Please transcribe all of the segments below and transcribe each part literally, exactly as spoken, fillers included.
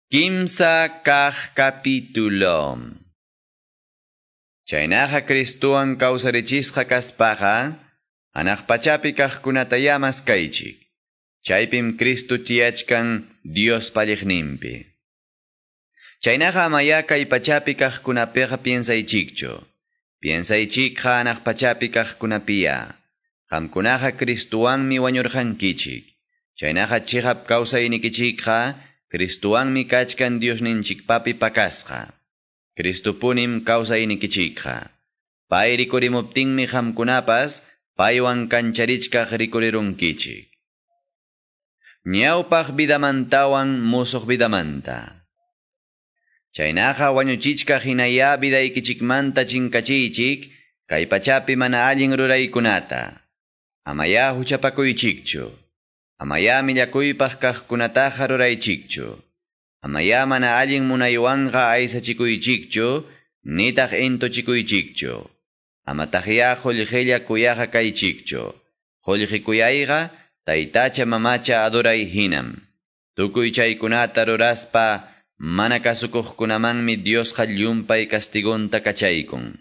Kimsa kaq capítulo. Chaynaqa Cristuwan kawsarichisqa kaspaqa, hanaq pachapi kaqkunatayá maskaychik. Chaypim Cristo tiyachkan Diospa alliqninpi. Chaynaqa amayá kay pachapi kaqkunapiqa piensaychikchu. Piensaychikqa hanaq pachapi kaqkunapiya. Qamkunaqa Cristuwanmi wañurqankichik. Chaynaqa chiqap kawsaynikichikqa Cristuwanmi kachkan Diosninchikpapi pakasqa. Cristupunim kawsaynikichikqa. Pay rikurimuptinmi qamkunapas paywan kancharichkaq rikurirunkichik. Ñawpaq vidamantawan musuq vidamanta. Chaynaqa wañuchichkaq hinayá vidaykichikmanta chinkachiychik kay pachapi mana allin ruraykunata. Amayá huchapakuychikchu. Amayá millakuypaq kaqkunataqa ruraychikchu. Amayá mana allin munaywanqa aysachikuychikchu, nitaq intuchikuychikchu. Amataqyá qullqilla kuyaqa kaychikchu. Qullqi kuyayqa taytacha mamacha adoray hinam. Tukuy chaykunata ruraspa mana kasukuqkunamanmi Diosqa llumpay castigonta kachaykun.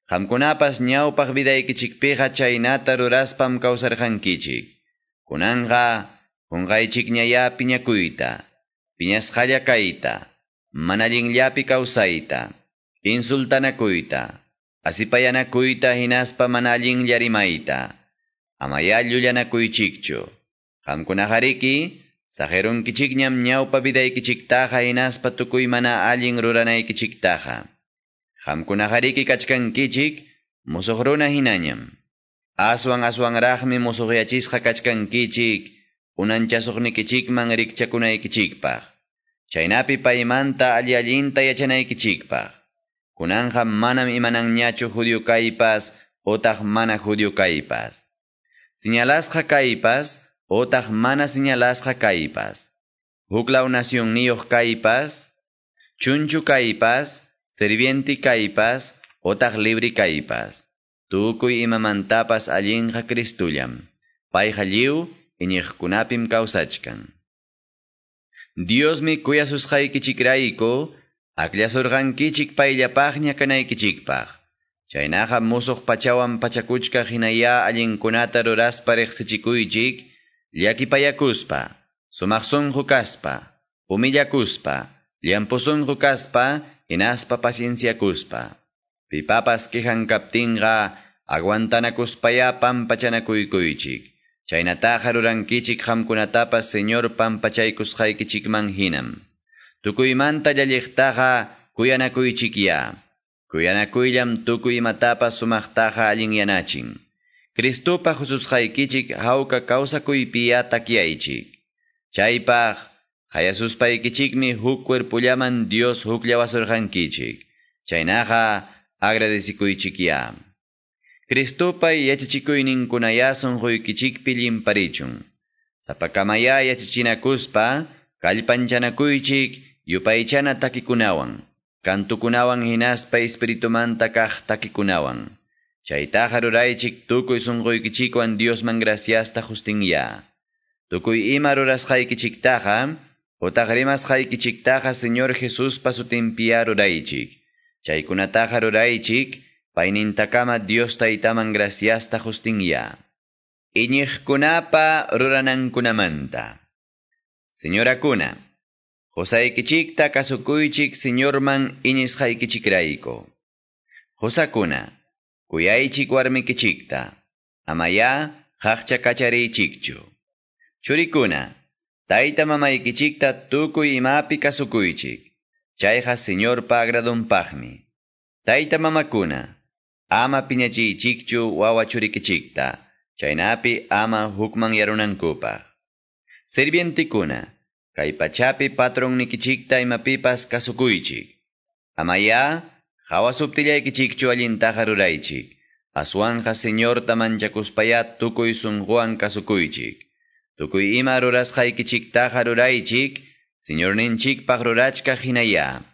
Qamkunapas ñawpaq vidaykichikpiqa chaynata ruraspam kawsarqankichik. Kunanqa qunqaychikñayá piñakuyta, piñasqalla kayta, mana allinllapi kawsayta, insultanakuyta, asipayanakuyta hinaspa mana allinlla rimayta. Amayá llullanakuychikchu. Qamkunaqariki saqirunkichikñam ñawpa vidaykichiktaqa hinaspa tukuy mana allin ruranaykichiktaqa. Qamkunaqariki kachkankichik musuq runa hinañam. Aswan aswanraqmi musuqyachisqa kachkankichik unanchasuqnikichikman rikchakunaykichikpaq. Chaynapi paymanta alli allinta yachanaykichikpaq. Kunanqa manam imananñachu judío kaypas otaq mana judío kaypas. Señalasqa kaypas otaq mana señalasqa kaypas. Huklaw nacionniyuq kaypas, chunchu kaypas, sirviente kaypas, otaq libre kaypas. Tukuy imamantapas allinqa Cristullam. Payqa lliw iñiqkunapim kawsachkan. Diosmi kuyasusqaykichikrayku akllasurqankichik payllapaqña kanaykichikpaq. Chaynaqa musuq pachawan pachakuchkaq hinayá allinkunata ruraspa riqsichikuychik, llakipayakuspa, sumaq sunqu kaspa, humillakuspa, llampu sunqu kaspa, hinaspa pacienciakuspa. Pipapas quejan kaptinqa aguantanakuspayá pampachanakuykuychik. Chaynataqa rurankichik qamkunatapas Señor pampachaykusqaykichikman hinam. Tukuymanta llalliqtaqa kuyanakuychikyá. Kuyanakuyllam tukuy imatapas sumaqtaqa allinyanachin. Cristupa hususqaykichik hawka kawsakuypiya takyaychik. Chaypaq qayasuspaykichikmi huk cuerpullaman Dios hukllawasurqankichik. Chaynaqa agradecikuychikyá. Cristupa yachachikuyninkunayá sunquykichikpi llimparichun. Sapakamayá yachachinakuspa kallpanchanakuychik yupaychana takikunawan, kantukunawan hinaspa espiritumanta kaq takikunawan. Chaytaqa ruraychik tukuy sunquykichikwan Diosman graciasta justinyá. Tukuy ima rurasqaykichiktaqa otaq rimasqaykichiktaqa Señor Jesuspa sutinpiyá ruraychik. Chaykunataqa ruraychik, paynintakama Dios taytaman graciasta justinyá. Iñiqkunapa ruranankunamanta. Señorakuna, qusaykichikta kasukuychik Señorman iñisqaykichikrayku. Qusakuna, kuyaychik warmikichikta, amayá qaqcha kachariychikchu. Churikuna, tayta mamaykichikta tukuy imapi kasukuychik. Chayqa Señorpa agradunpaqmi. Tayta mamakuna, ama piñachiychikchu wawa churikichikta, chaynapi ama hukmanyarunankupaq. Sirvientikuna, kay pachapi patronnikichikta imapipas kasukuychik. Amayá hawasuptillaykichikchu allintaqa ruraychik. Aswanqa Señorta manchakuspayá tukuy sunquwan kasukuychik. Tukuy ima rurasqaykichiktaqa ruraychik, Señorninchikpaq rurachkaq hinayá.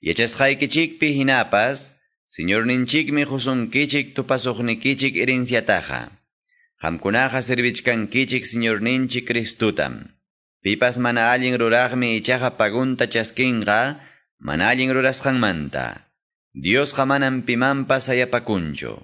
Yachasqaykichikpi hinapas, Señorninchikmi husunkichik tupasuqnikichik herenciataqa. Qamkunaqa servichkankichik Señorninchik Cristutam. Pipas mana allin ruraqmi ichaqa pagunta chaskinqa, mana allin rurasqanmanta. Diosqa manam pimanpas sayapakunchu.